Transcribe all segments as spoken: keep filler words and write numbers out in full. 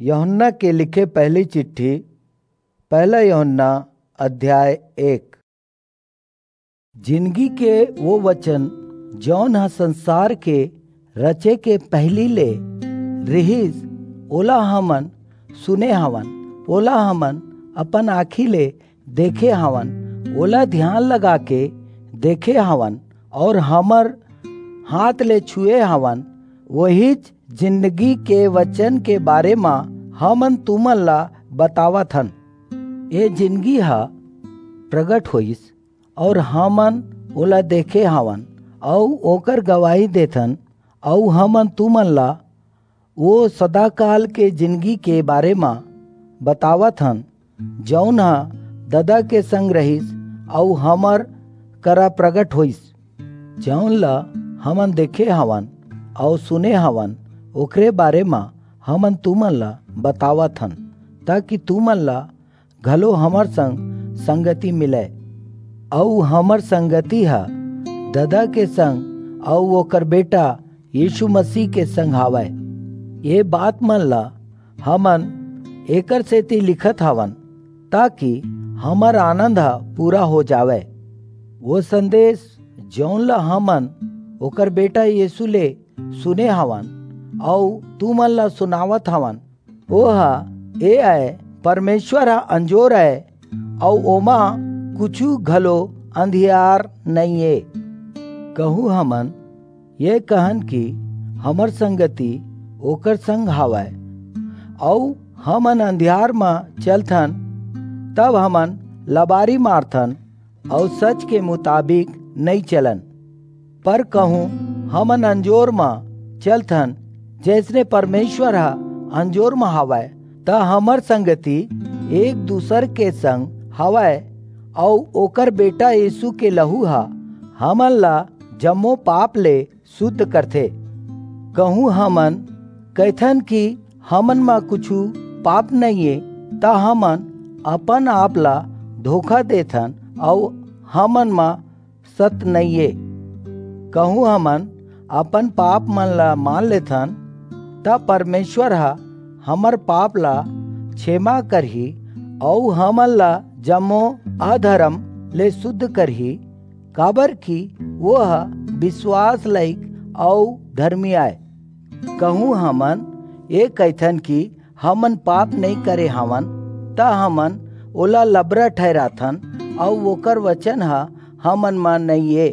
यूहन्ना के लिखे पहली चिट्ठी, पहला यूहन्ना, अध्याय एक। जिनगी के वो वचन, जौन ह संसार के रचे के पहिली ले रिहिस, ओला हमन सुने हवन, ओला हमन अपन आँखी ले देखे हवन, ओला ध्यान लगा के देखे हवन, और हमर हाथ ले छुए हवन, वहीच जिंदगी के वचन के बारे म हमन तुमन ला बतावत हन। ये जिंदगी ह प्रगट होइस, और हमन ओला देखे हवन, अऊ ओकर गवाही देथन, अऊ हमन तुमन ला वो सदाकाल के जिंदगी के बारे म बतावत हन, जौन ह ददा के संग रहिस, अऊ हमर करा प्रगट होइस। जौन ला हमन देखे हवन अऊ सुने हवन, ओकरे बारे म हमन तुमन ला बतावत हन, ताकि तुमन ला घलो हमर संग संगति मिलय। अऊ हमर संगति ह ददा के संग अऊ ओकर बेटा यीशु मसीह के संग हावय। ये बात मन ला हमन एकर सेती लिखत हवन, ताकि हमर आनंद ह पूरा हो जावय। वो संदेश, जौन ला हमन ओकर बेटा यीशु ले सुने हवन, अऊ तुमन ला सुनावत हवन, ओह ए अय, परमेश्वर ह अंजोर अय, अऊ ओमा कुछू घलो अंधियार नइये। कहूँ हमन ये कहन कि हमर संगति ओकर संग हावय, अऊ हमन अंधियार म चलथन, तब हमन लबारी मारथन, अऊ सच के मुताबिक नइं चलन। पर कहूँ हमन अंजोर म चलथन, जइसने परमेश्वर ह अंजोर म हावय, त हमर संगति एक दूसर के संग हावय, अऊ ओकर बेटा यीशु के लहू ह हमन ला जम्मो पाप ले शुद्ध करथे। कहूँ हमन कहिथन कि हमन म कुछू पाप नइये, त हमन अपन आप ला धोखा देथन अऊ हमन म सत नइये। कहूँ हमन अपन पाप मन ला मान लेथन, त परमेश्वर ह हमर पाप ला क्षमा करही अऊ हमन ला जम्मो अधरम ले शुद्ध करही, काबर कि वो ह विश्वास लायक अऊ धर्मी आय। कहूँ हमन ये कहिथन कि हमन पाप नइं करे हवन, त हमन ओला लबरा ठहराथन अऊ ओकर वचन ह हमन म नइये।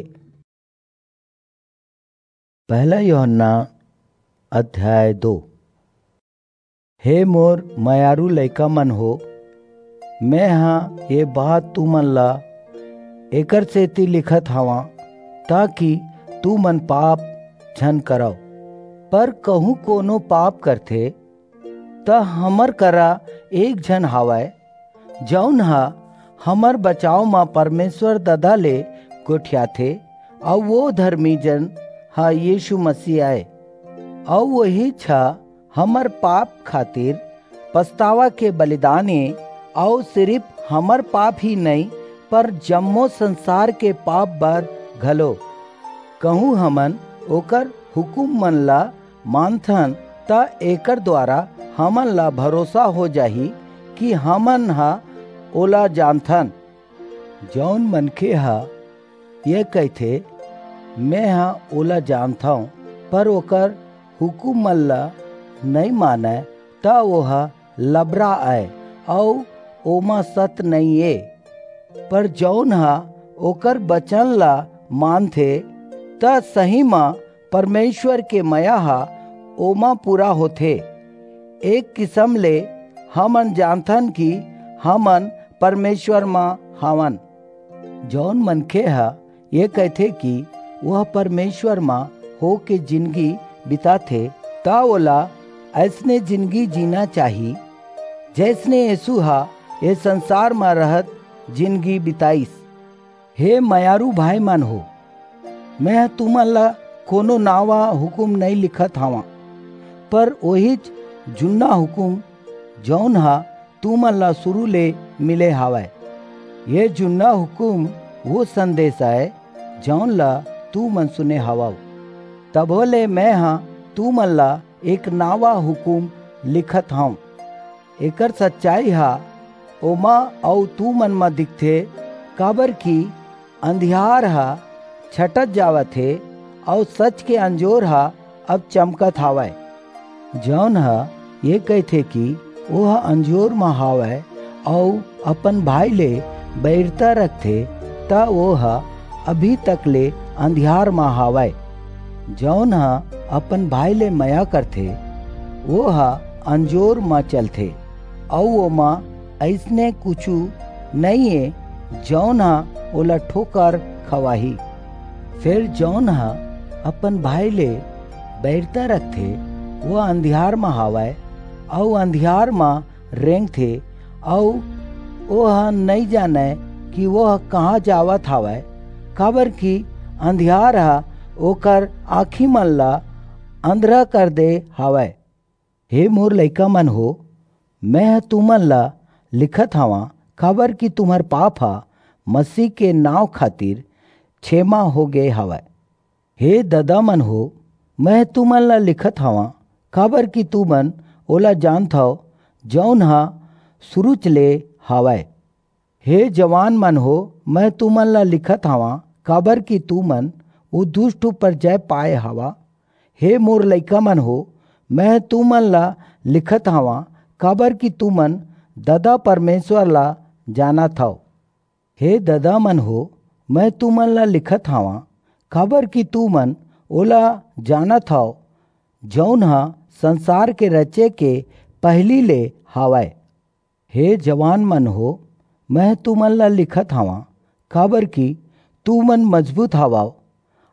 पहला यूहन्ना अध्याय दो। हे मोर मयारू लइका मन हो, मैं ह ये बात तुमन ला एकर सेती लिखत हवं, ताकि तुमन पाप झन करव। पर कहूँ कोनो पाप करथे, त हमर करा एक झन हावय, जऊन ह हमर बचाव म परमेश्वर ददा ले गोठियाथे, अऊ वो धर्मी जन ह यीशु मसीह आय। अऊ वहीच ह हमर पाप खातिर पछतावा के बलिदान ए, अऊ सिरिफ हमर पाप ही नइं, पर जम्मो संसार के पाप बर घलो। कहूँ हमन ओकर हुकूम मन ला मानथन, त एकर द्वारा हमन ला भरोसा हो जाही कि हमन ह ओला जानथन। जऊन मनखे ह ये कहिथे, "मैं ह ओला जानथंव," पर ओकर हुकूम मन ला नइं मानय, त ओह लबरा अय, अऊ ओमा सत नइं ए। पर जऊन ह ओकर बचन ला मानथे, त सही म परमेश्वर के मया ह ओमा पूरा होथे। एक किसम ले हमन जानथन कि हमन परमेश्वर म हावन। जऊन मनखे ह ये कहिथे कि वह परमेश्वर म होके जिनगी बिताथे, त ओला अइसने जिनगी जीना चाही, जइसने यीशु ह ये संसार म रहत जिनगी बिताइस। हे मयारू भाई मन हो, मैं ह तुमन ला कोनो नावा हुकूम नइं लिखत हवं, पर ओहीच जुन्ना हुकूम, जऊन ह तुमन ला शुरू ले मिले हावय। ये जुन्ना हुकूम वो संदेश अय, जऊन ला तुमन सुने हवव। तभो ले मैं ह तुमन ला एक नावा हुकूम लिखत हंव, एकर सच्चाई ह ओमा अऊ तुमन म दिखथे, काबरकि अंधियार ह छटत जावत हे, अऊ सच के अंजोर ह अब चमकत हावय। जऊन ह ये कहिथे कि ओह अंजोर म हावय अऊ अपन भाई ले बईरता रखथे, त ओह अभी तक ले अंधियार म हावय। जऊन ह अपन भाई ले मया करथे, ओह अंजोर म चलथे, अऊ ओमा अइसने कुछू नइये, जऊन ह ओला ठोकर खवाही। फेर जऊन ह अपन भाई ले बईरता रखथे, वो अंधियार म हावय, अऊ अंधियार म रेंगथे, अऊ ओह नइं जानय कि ओह कहाँ जावत हावय, काबरकि अंधियार ह ओकर आँखी मन ला अंधरा कर दे हावय। हे मोर लइका मन हो, मैं ह तुमन ला लिखत हवं, काबरकि तुम्हर पाप ह मसीह के नांव खातिर छेमा हो गे हवय। हे ददा मन हो, मैं तुमन ला लिखत हवं, काबरकि तुमन ओला जानथव, जऊन ह सुरूच ले हावय। हे जवान मन हो, मैं तुमन ला लिखत हवं, काबरकि तुमन ओ दुस्ट ऊपर जय पाय हवा। हे मोर लइका मन हो, मैं तुमन ला लिखत हवं, काबरकि तुमन ददा परमेसर ला जानत हव। हे ददा मन हो, मैं तुमन ला लिखत हवं, काबरकि तुमन ओला जानत हव, जऊन ह संसार के रचे के पहिली ले हावय। हे जवान मन हो, मैं तुमन ला लिखत हवं, काबरकि तुमन मजबूत हवव,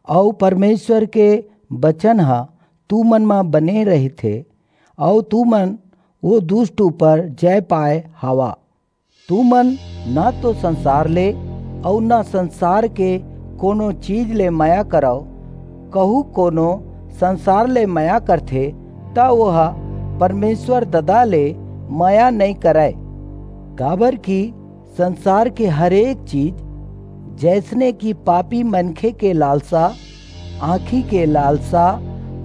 अऊ परमेसर के बचन ह तुमन म बने रहिथे, अऊ तुमन ओ दुस्ट ऊपर जय पाय हवा। तुमन न तो संसार ले अऊ न संसार के कोनो चीज ले मया करव। कहूँ कोनो संसार ले मया करथे, त ओह परमेसर ददा ले मया नइं करय। काबरकि संसार के हरेक चीज, जइसने कि पापी मनखे के लालसा, आँखी के लालसा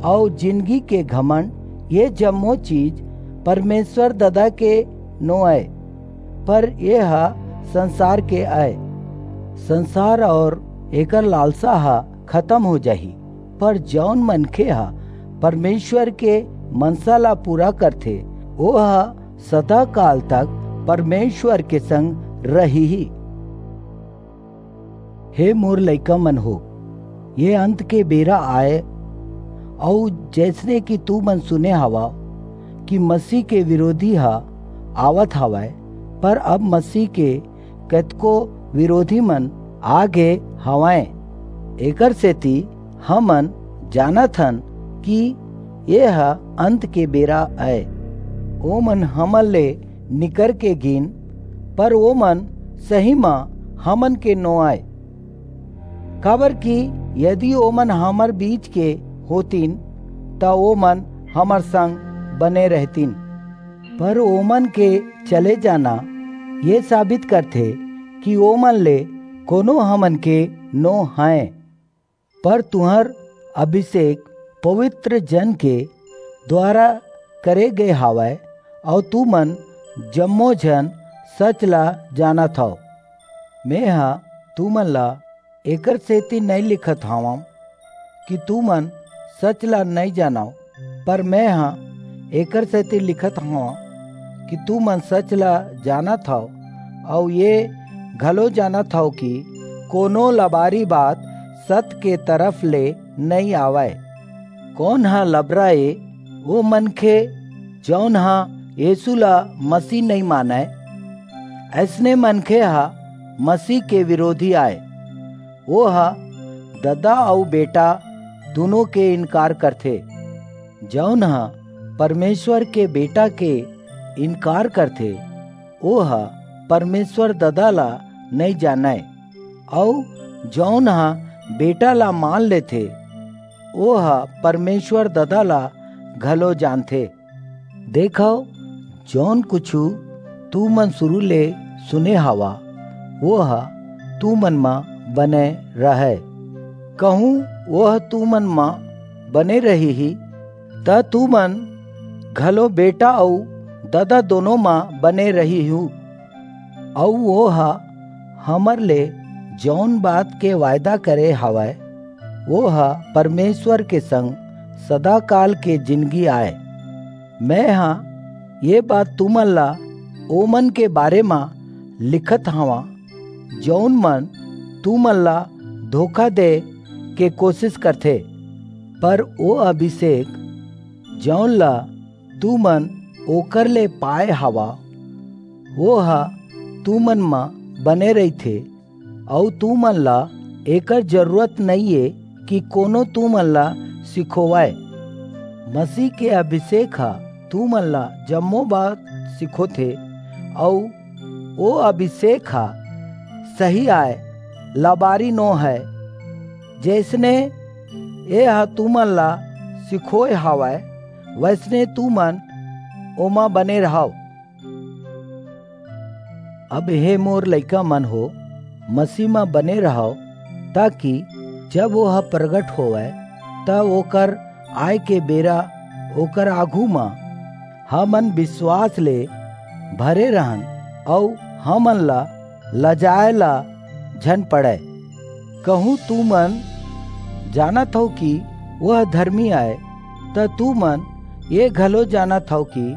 अऊ जिनगी के घमंड, ये जम्मो चीज परमेसर ददा के नो अय, पर ये ह संसार के अय। संसार अऊ एकर लालसा ह खतम हो जाही, पर जऊन मनखे ह परमेसर के मनसा ला पूरा करथे, ओह सदाकाल तक परमेसर के संग रहिही। हे मोर लइका मन हो, ये अंत के बेरा आय, अऊ जइसने कि तुमन सुने हवव कि मसीह के बिरोधी ह आवत हवय, पर अब मसीह के कतको बिरोधी मन आ गे हवंय। एकरसेति हमन जानत हन कि ये ह अंत के बेरा अय। ओमन हमन ले निकर के गीन, पर ओमन सही म हमन के नो अय। काबरकि यदि ओमन हमर बीच के होतिन, त ओमन हमर संग बने रहतिन। पर ओमन के चले जाना ये साबित करथे कि ओमन ले कोनो हमन के नो हंय। पर तुंहर अभिषेक पवित्र जन के दुवारा करे गे हवय, अऊ तुमन जम्मो झन सच ला जानत हव। मेंह तुमन ला एकरसेति नइं लिखत हवंव कि तुमन सच ला नइं जानव, पर मेंह एकरसेति लिखत हवंव कि तुमन सच ला जानत हव, अऊ ये घलो जानत हव कि कोनो लबारी बात सत के तरफ ले नइं आवय। कोन ह लबरा ए? वो मनखे, जऊन ह यीसू ला मसीह नइं मानय। अइसने मनखे ह मसीह के बिरोधी आय। वो ह ददा अऊ बेटा दूनों के इनकार करथे। जऊन ह परमेसर के बेटा के इनकार करथे, ओह परमेसर ददा ला नइं जानय, अऊ जऊन ह बेटा ला मान लेथे, ओह परमेसर ददा ला घलो जानथे। देखव, जऊन कुछू तुमन सुरू ले सुने हवा, ओह तुमन म बने रहय। कहूँ ओह तुमन म बने रहिही, त तुमन घलो बेटा अऊ ददा दोनों म बने रहिहू, अऊ वो ह हमर ले जऊन बात के वायदा करे हवय, वो ह परमेसर के संग सदाकाल के जिनगी आय। मेंह ये बात तुमन ला ओमन के बारे म लिखत हवंव, जऊन मन तुमन ला धोखा दे के कोसिस करथे, पर वो अभिसेक, जऊन ला तुमन ओकर ले पाय हवव, वो ह तुमन म बने रहिथे, अऊ तुमन ला एकर जरूरत नइये कि कोनो तुमन ला सिखोवय। मसीह के अभिसेक ह तुमन ला जम्मो बात सिखोथे, अऊ वो अभिसेक ह सही आय, लबारी नोहय। जइसने एह तुमन ला सिखोय हवय, वइसने तुमन ओमा बने रहव। अब हे मोर लइका मन हो, मसीह म बने रहव, ताकि जब वो ह परगट होवय, त ओकर आय के बेरा ओकर आघू म हमन बिसवास ले भरे रहन, अऊ हमन ला लजाय ला झन पड़य। कहूं तुमन जानत हव कि वह धरमी आय, त तुमन ये घलो जानत हव कि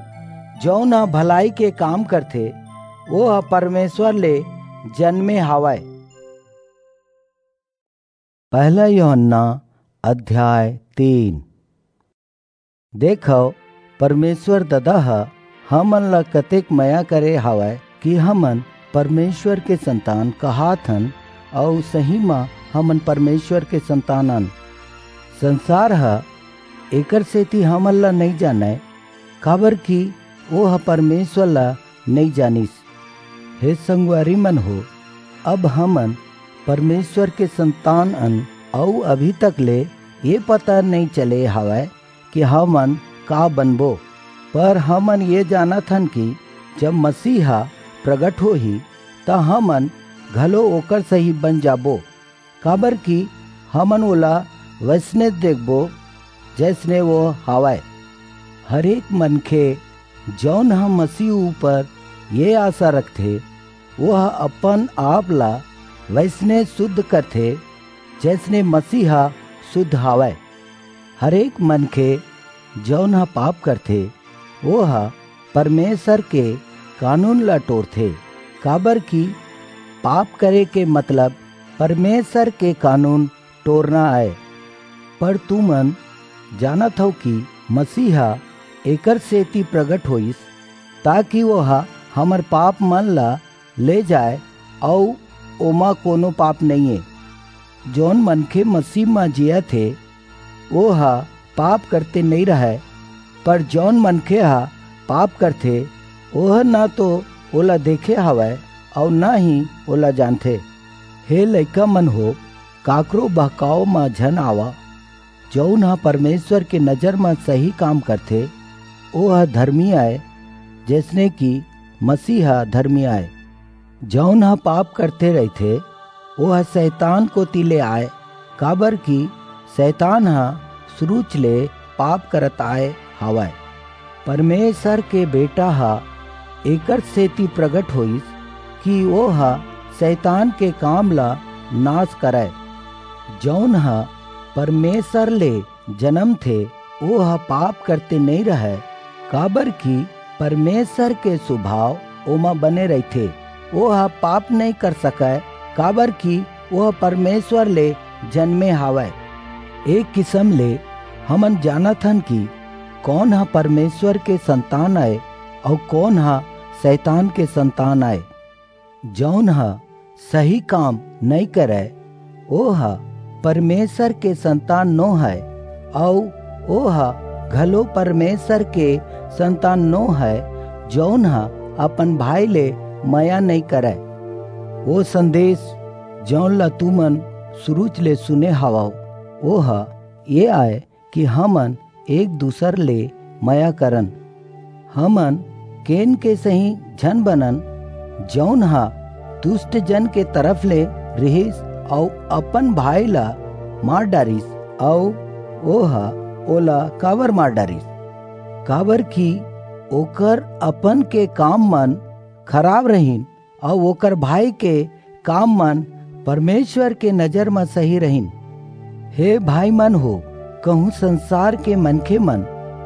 जऊन ह भलई के काम करथे, वो ह परमेसर ले जनमे हवय। पहला यूहन्ना अध्याय तीन। देखव, परमेसर ददा ह हमन ला कतेक मया करे हवय कि हमन परमेसर के संतान कहात हन, अऊ सही म हमन परमेसर के संतान अन। संसार ह एकर सेती हमन ला नइं जानय, काबरकि वो ह परमेसर ला नइं जानिस। हे संगवारी मन हो, अब हमन परमेसर के संतान अन, अऊ अभी तक ले ये पता नइं चले हवय कि हमन का बनबो, पर हमन ये जानत हन कि जब मसीह ह परगट होही, त हमन घलो ओकर सही बन जाबो, काबरकि हमन ओला वइसने देखबो, जइसने वो हवय। हरेक मनखे, जऊन ह मसीह ऊपर ये आसा रखथे, वो ह अपन आप ला वइसने सुध करथे, जइसने मसीह ह सुध हवय। हरेक मनखे, जऊन ह पाप करथे, वो ह परमेसर के कानून ला टोरथे, काबरकि पाप करे के मतलब परमेसर के कानून टोरना अय। पर तुमन जानत हव कि मसीह ह एकर सेती परगट होईस, ताकि वो ह हमर पाप मन ला ले जाय, अऊ ओमा कोनो पाप नइये। जऊन मनखे मसीह म जियत हे, वो ह पाप करते नइं रहय, पर जऊन मनखे ह पाप करथे, ओह न तो ओला देखे हवय, अऊ न ही ओला जानथे। हे लइका मन हो, काकरो बहकाव म झन आवा। जऊन ह परमेसर के नजर म सही काम करथे, वो ह धरमी अय, जइसने कि मसीह ह धरमी अय। जऊन ह पाप करथे रहिथे, वो ह सैतान कोति ले आय, काबरकि सैतान ह सुरूच ले पाप करत आय हवय। परमेसर के बेटा ह एकर सेती परगट होईस कि वो ह सैतान के काम ला नास करय। जऊन ह परमेसर ले जनमथे, वो ह पाप करते नइं रहय, काबरकि परमेसर के सुभाव ओमा बने रहिथे। वो ह पाप नइं कर सकय, काबरकि वो ह परमेसर ले जनमे हवय। एक किसम ले हमन जानत हन कि कोन ह परमेसर के संतान अय अऊ कोन ह सैतान के संतान अय। जऊन ह सही काम नइं करय, वो ह परमेसर के संतान नोहय, अऊ वो ह घलो परमेसर के संतान नोहय, जऊन ह अपन भाई ले मया नइं करय। वो संदेस, जऊन ला तुमन सुरूच ले सुने हवव, वो ह ये आय कि हमन एक दूसर ले मया करन। हमन केन के सही झन बनन, जऊन ह दुस्ट जन के तरफ ले रिहिस अऊ अपन भाई ला मार डारिस, अऊ ओह ओला काबर मार डारिस? काबरकि ओकर अपन के काम मन खराब रहिन, अऊ ओकर भाई के काम मन परमेश्वर के नजर म सही रहिन। हे भाई मन हो, कहूं संसार के मनखे मन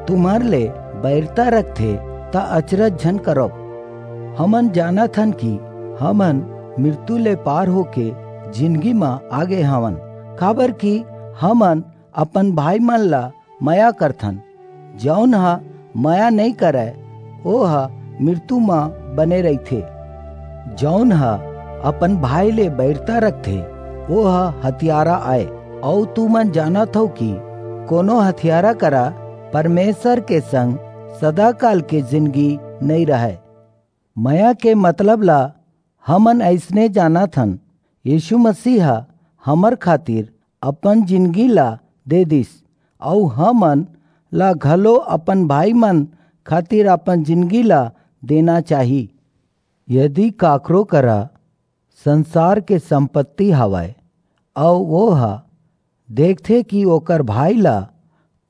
तुम्हर ले बैरता रखथे, त अचरज झन करव। हमन जानत हन कि हमन मृत्यु ले पार होके जिनगी म आगे हवन, काबर कि हमन अपन भाई मन ला मया करथन। जौन ह मया नइ करय, ओ ह मृत्यु म बने रहिथे। जौन ह अपन भाई ले बैरता रखथे, ओ ह हतियारा आय। अऊ तुमन जानत हव कि कोनो हतियारा करा परमेश्वर के संग सदाकाल के जिनगी नइ रहय। मया के मतलब ला हमन अइसने जानत हन, यीशु मसीह ह हमर खातिर अपन जिनगी ला दे दिस, अऊ हमन ला घलो अपन भाई मन खातिर अपन जिनगी ला देना चाही। यदि काकरो करा संसार के संपत्ति हवय, अऊ वो ह देखथे कि ओकर भाई ला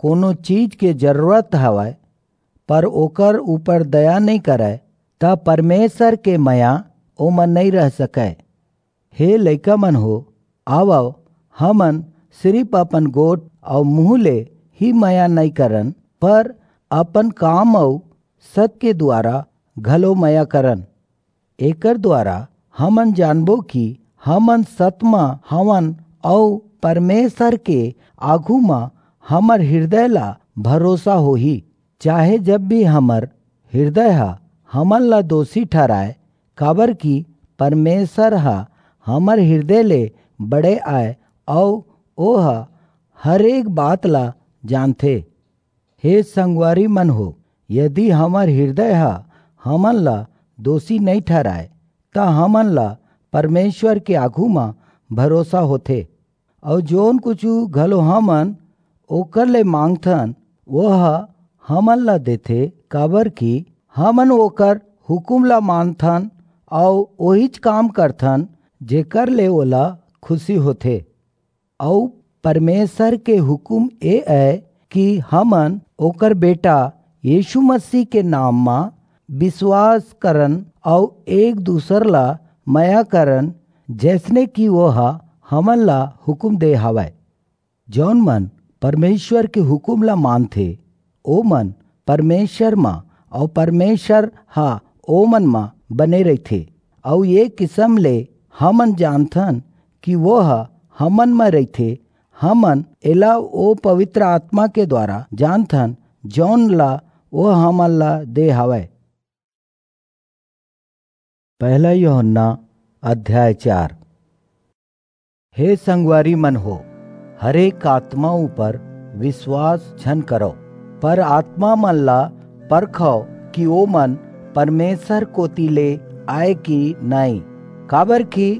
कोनो चीज के जरूरत हवय, पर ओकर ऊपर दया नइ करय, त परमेश्वर के मया ओमन नइ रह सकय। हे लइका मन हो, आवव, हमन सिरिफ अपन गोठ अऊ मुंह ले ही मया नइ करन, पर अपन काम अऊ सत के द्वारा घलो मया करन। एकर द्वारा हमन जानबो कि हमन सत म हवन, अऊ परमेश्वर के आघू म हमर हृदय ला भरोसा होही। चाहे जब भी हमर हृदय ह हमन ला दोषी ठहराय, काबर कि परमेश्वर ह हमर हृदय ले बड़े आय, अऊ ओह हर एक बात ला जानथे। हे संगवारी मन हो, यदि हमर हृदय ह हमन ला दोषी नइ ठहराय, त हमन ला परमेश्वर के आघू म भरोसा होथे, अऊ जौन कुछु घलो हमन ओकर ले मांगथन, वह हमन ला देथे, काबर कि हमन ओकर हुकुम ला मानथन अऊ ओहीच काम करथन, जेकर ले ओला खुशी होथे। अऊ परमेश्वर के हुकुम ए अय कि हमन ओकर बेटा यीशु मसीह के नाम म विश्वास करन अऊ एक दूसर ला मया करन, जैसने कि वो ह हमन ला हुकुम दे हवय। जौन मन परमेश्वर के हुकुम ला मानथे, ओमन परमेश्वर म अऊ परमेश्वर ह ओमन म बने रहिथे। अऊ ये किसम ले हमन जानथन कि वो ह हमन म रहिथे। हमन एला ओ पवित्र आत्मा के द्वारा जानथन, जौन ला वो हमन ला दे हवय। पहला यूहन्ना अध्याय चार। हे संगवारी मन हो, हरेक आत्मा ऊपर विश्वास झन करव, पर आत्मा मन ला परखव कि ओमन परमेश्वर कोति ले आय कि नाई, काबर कि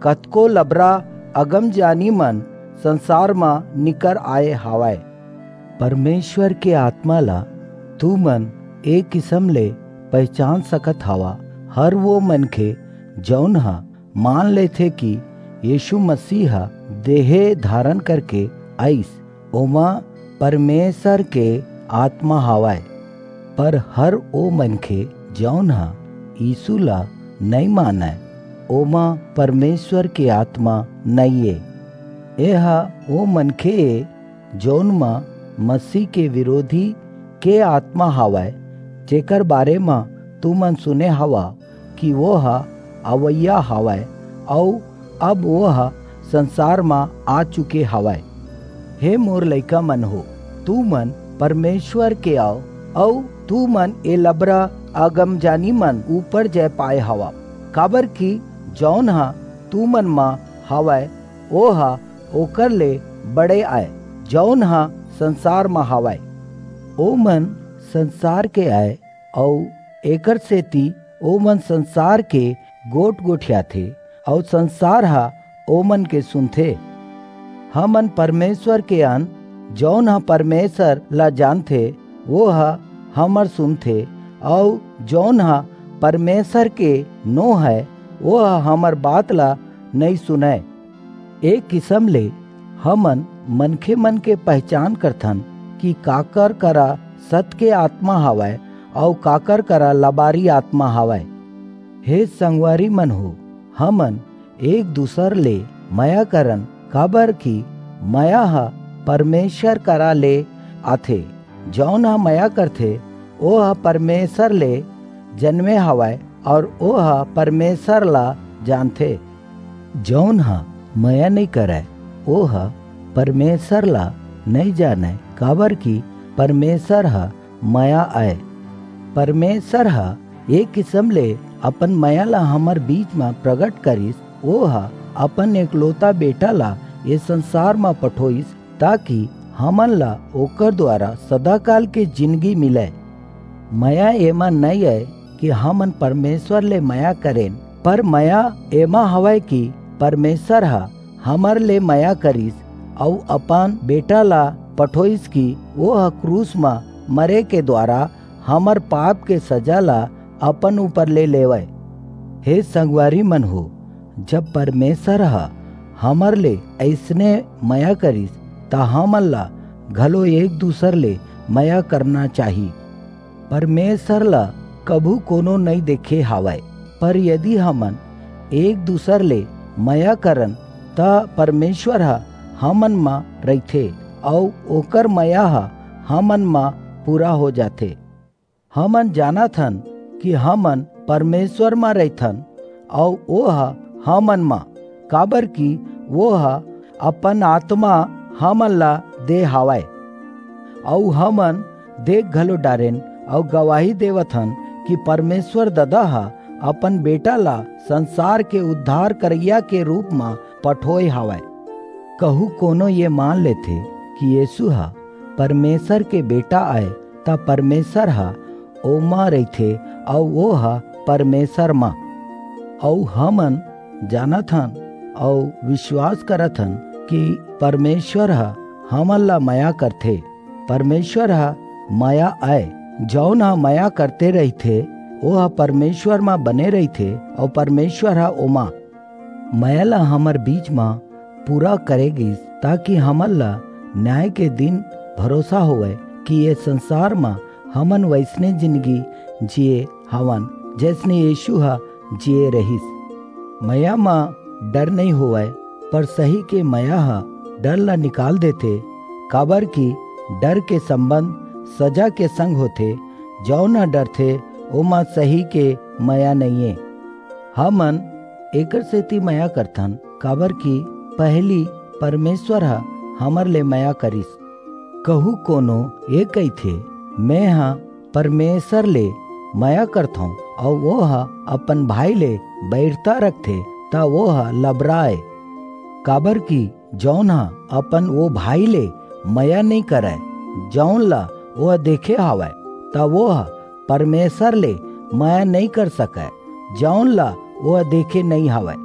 कतको लबरा अगमजानी मन संसार म निकर आय हावय। परमेश्वर के आत्मा ला तुमन ए किसम ले पहिचान सकत हवा, हर वो मनखे जऊन ह मान लेथे कि यीशु मसीह ह देहे धारन करके आईस, ओमा परमेश्वर के आत्मा हावय। पर हर ओ मनखे जऊन ह यीशु ला नइ मानय, ओमा परमेश्वर के आत्मा नइये। ए ह ओ मनखे ए जऊन म मसीह के विरोधी के आत्मा हावय, जेकर बारे म तुमन सुने हवा कि वो ह अवइया हावय, अऊ अब वो ह संसार म आ चुके हावय। हे मोर लइका मन हो, तुमन परमेश्वर के आव, अऊ तुमन ए लबरा अगमजानी मन ऊपर जय पाए हवा, काबर कि जऊन ह तुमन म हावय, ओ ह ओकर ले बड़े आय, जऊन ह संसार म हावय। ओमन संसार के आय, अऊ एकर सेती ओमन संसार के गोठ गोठियाथे, अऊ संसार ह ओमन के सुनथे। हमन परमेश्वर के अन, जऊन ह परमेश्वर ला जानथे, वो ह हमर सुनथे, अऊ जऊन ह परमेश्वर के नो हय, वो ह हमर बात ला नइं सुनय। ए किसम ले हमन मनखे मन के पहिचान करथन कि काकर करा सत के आत्मा हावय, अऊ काकर करा लबारी आत्मा हवय। हे संगवारी मन हो, हमन एक दूसर ले मया करन, काबर कि मया ह परमेसर करा ले आथे। जऊन ह मया करथे, ओह परमेसर ले जनमे हवय, अऊ ओह परमेसर ला जानथे। जऊन ह मया नइं करय, ओह परमेसर ला नइं जानय, काबर कि परमेसर ह मया अय। परमेसर ह ए किसम ले अपन मया ला हमर बीच म परगट करिस, ओह अपन एकलोता बेटा ला ए संसार म पठोइस, ताकि हमन ला ओकर दुवारा सदाकाल के जिनगी मिलय। मया एमा नइं अय कि हमन परमेसर ले मया करेन, पर मया एमा हवय कि परमेसर ह हमर ले मया करिस अऊ अपन बेटा ला पठोइस कि ओह क्रूस म मरे के दुवारा हमर पाप के सजा ला अपन ऊपर ले लेवय। हे संगवारी मन हो, जब परमेसर ह हमर ले अइसने मया करिस, त हमन ला घलो एक दूसर ले मया करना चाही। परमेसर ला कभू कोनो नइं देखे हावय, पर यदि हमन एक दूसर ले मया करन, त परमेसर ह हमन म रहिथे, अऊ ओकर मया ह हमन म पूरा हो जाथे। हमन जानत हन कि हमन परमेसर म रहिथन, अऊ ओह हमन म, काबर कि ओह अपन आतमा हमन ला दे हावय। अऊ हमन देख घलो डारेन अऊ गवाही देवत हन कि परमेसर ददा ह अपन बेटा ला संसार के उद्धार करइया के रूप म पठोय हावय। कहू कोनो ये मान लेथे कि यीसू ह परमेसर के बेटा अय, त परमेसर ह ओमा रहिथे अऊ ओह परमेसर म। अऊ हमन जानत हन अऊ बिसवास करत हन कि परमेसर ह हमन ला मया करथे। परमेसर ह मया अय। जऊन ह मया करते रहिथे, ओह परमेसर म बने रहिथे अऊ परमेसर ह ओमा। मया ला हमर बीच म पूरा करे गीस, ताकि हमन ला न्याय के दिन भरोसा होवय कि ए संसार म हमन वइसने जिनगी जिये हवन, जइसने यीसू ह जिये रहिस। मया म डर नइं होवय, पर सही के मया ह डर ला निकाल देथे, काबर कि डर के संबंध सजा के संग होथे। जऊन ह डरथे, ओमा सही के मया नइये। हमन एकर सेती मया करथन, काबर कि पहिली परमेसर ह हमर ले मया करिस। कहू कोनो ए कहिथे, "मेंह परमेसर ले मया करथंव," अऊ ओह अपन भाई ले बईरता रखथे, त ओह लबरा अय। काबर कि जऊन ह अपन ओ भाई ले मया नइं करय, जऊन ला ओह देखे हावय, त ओह परमेसर ले मया नइं कर सकय, जऊन ला ओह देखे नइं हावय।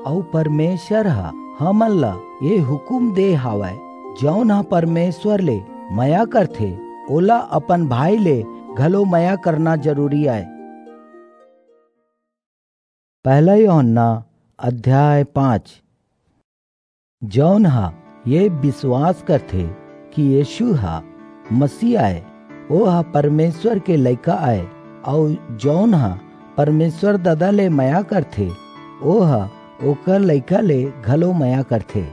अऊ परमेसर ह हमन ला ए हुकूम दे हावय, जऊन ह परमेसर ले मया करथे, ओला अपन भाई ले घलो मया करना जरूरी अय। पहला यूहन्ना अध्याय पाँच। जऊन ह ये बिसवास करथे कि यीसू ह मसीह अय, ओह परमेसर के लइका अय, अऊ जऊन ह परमेसर ददा ले मया करथे, ओह ओकर लइका ले घलो मया करथे।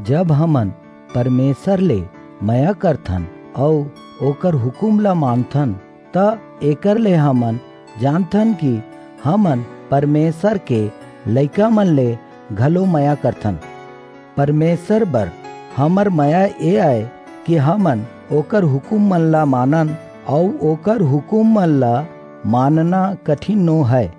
जब हमन परमेसर ले मया करथन अऊ ओकर हुकूम ला मानथन, त एकर ले हमन जानथन कि हमन परमेसर के लइका मन ले घलो मया करथन। परमेसर बर हमर मया ए अय कि हमन ओकर हुकूम मन ला मानन, अऊ ओकर हुकूम मन ला मानना कठिन नो हय।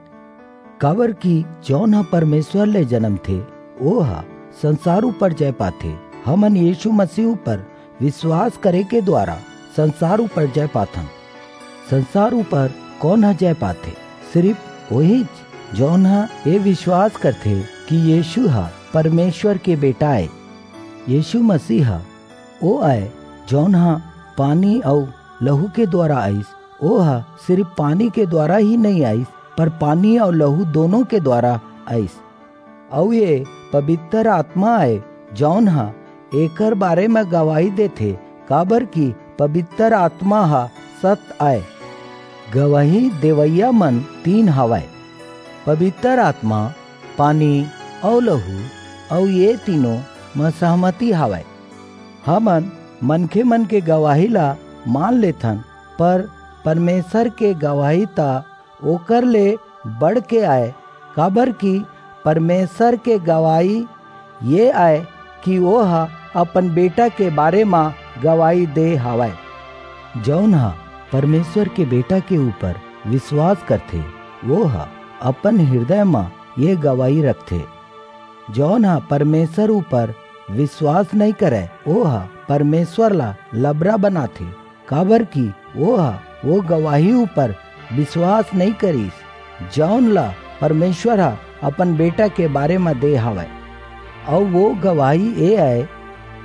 काबर कि जऊन ह परमेसर ले जनमथे, ओह संसार ऊपर जय पाथे। हमन यीसू मसीह ऊपर बिसवास करे के दुवारा संसार ऊपर जय पाथन। संसार ऊपर कोन ह जय पाथे? सिरिप ओहीच, जऊन ह ए बिसवास करथे कि यीसू ह परमेसर के बेटा अय। यीसू मसीह ह ओ अय, जऊन ह पानी अऊ लहू के दुवारा आईस। ओह सिरिप पानी के दुवारा ही नइं आईस, पर पानी अऊ लहू दूनो के दुवारा आईस। अऊ ए पबितर आतमा अय, जऊन ह एकर बारे म गवाही देथे, काबर कि पबितर आतमा ह सत अय। गवाही देवइया मन तीन हवय, पवित्र आत्मा, पानी अऊ लहू, अऊ ये तीनों म सहमति हवय। हमन मनखे मन के गवाही ला मान लेथन, पर परमेसर के गवाही त ओकर ले बढ़ के आय, काबर कि परमेसर के गवाही ये आय कि ओह अपन बेटा के बारे म गवाही दे हवय। जऊन ह परमेसर के बेटा के ऊपर बिसवास करथे, ओह अपन हिरदय म ये गवाही रखथे। जऊन ह परमेसर ऊपर बिसवास नइं करय, ओह परमेसर ला लबरा बनाथे, काबर कि ओह वो गवाही ऊपर बिसवास नइं करिस, जऊन ला परमेसर ह अपन बेटा के बारे म दे हवय। अऊ वो गवाही ये अय,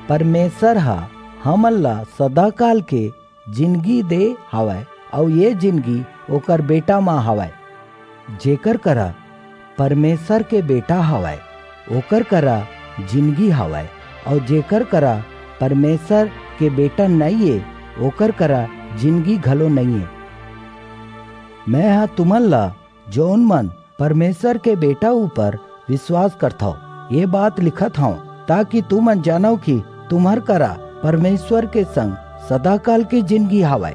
परमेसर ह हमन ला सदाकाल के जिनगी दे हवय, अऊ ये जिनगी ओकर बेटा म हवय। जेकर करा परमेसर के बेटा हवय, ओकर करा जिनगी हवय, अऊ जेकर करा परमेसर के बेटा नइं ए, ओकर करा जिनगी घलो नइं ए। मैं ह तुमन ला, जऊन मन परमेसर के बेटा ऊपर बिसवास करथव, ये बात लिखत हंव, ताकि तुमन जानव कि तुम्हर करा परमेसर के संग सदाकाल के जिनगी हवय।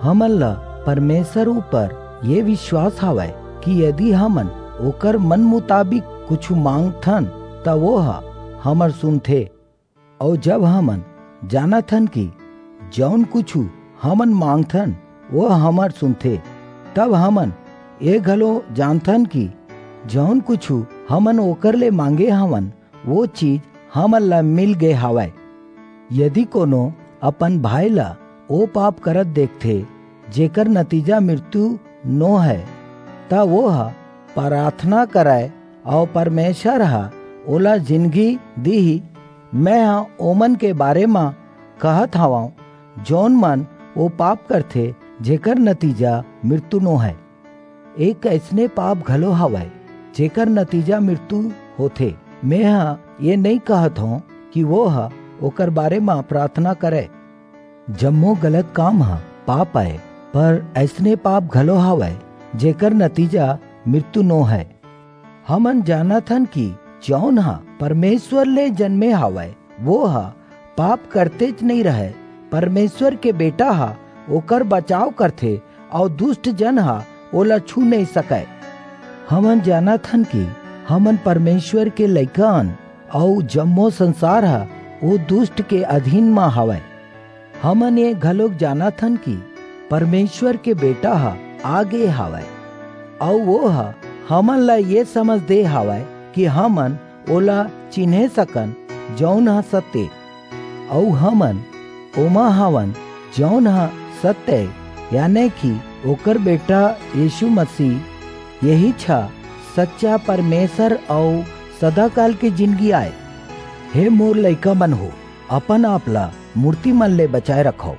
हमन ला परमेसर ऊपर ये बिसवास हवय कि यदि हमन ओकर मन मुताबिक कुछू मांगथन, त वो ह हमर सुनथे। अऊ जब हमन जानत हन कि जऊन कुछू हमन मांगथन, वो हमर सुनथे, तब हमन ये घलो जानथन कि जऊन कुछू हमन ओकर ले मांगे हवन, वो चीज हमन ला मिल गे हवय। यदि कोनो अपन भाई ला ओ पाप करत देखथे, जेकर नतीजा मृत्यु नो हे, त वो ह पराथना करय, अऊ परमेसर ह ओला जिनगी दीही। मैं ह ओमन के बारे म कहत हवंव, जऊन मन ओ पाप करथे, जेकर नतीजा मृत्यु नो हे। एक अइसने पाप घलो हवय, जेकर नतीजा मृत्यु होथे। मैं ह ये नइं कहत हंव कि वो ह ओकर बारे म पराथना करय। जम्मो गलत काम ह पाप अय, पर अइसने पाप घलो हवय, जेकर नतीजा मृत्यु नो हे। हमन जानत हन कि जऊन ह परमेसर ले जनमे हवय, वो ह पाप करतेच नइं रहय। परमेसर के बेटा ह ओकर बचाव करथे, अऊ दुस्ट जन ह ओला छू नइं सकय। हमन जानत हन कि हमन परमेसर के लइका अन, अऊ जम्मो संसार ह ओ दुस्ट के अधीन म हवय। हमन ये घलोक जानत हन कि परमेसर के बेटा ह आ गे हवय, अऊ वो ह हमन ला ये समझ दे हवय कि हमन ओला चिन्हे सकन, जऊन ह सत्य, अऊ हमन ओमा हवन, जऊन ह सत्य, याने कि ओकर बेटा यीसू मसीह, येहीच ह सच्चा परमेसर अऊ सदाकाल के जिनगी आय। हे मोर लइका मन हो, अपन आप ला मूरती मन ले बचाय रखव,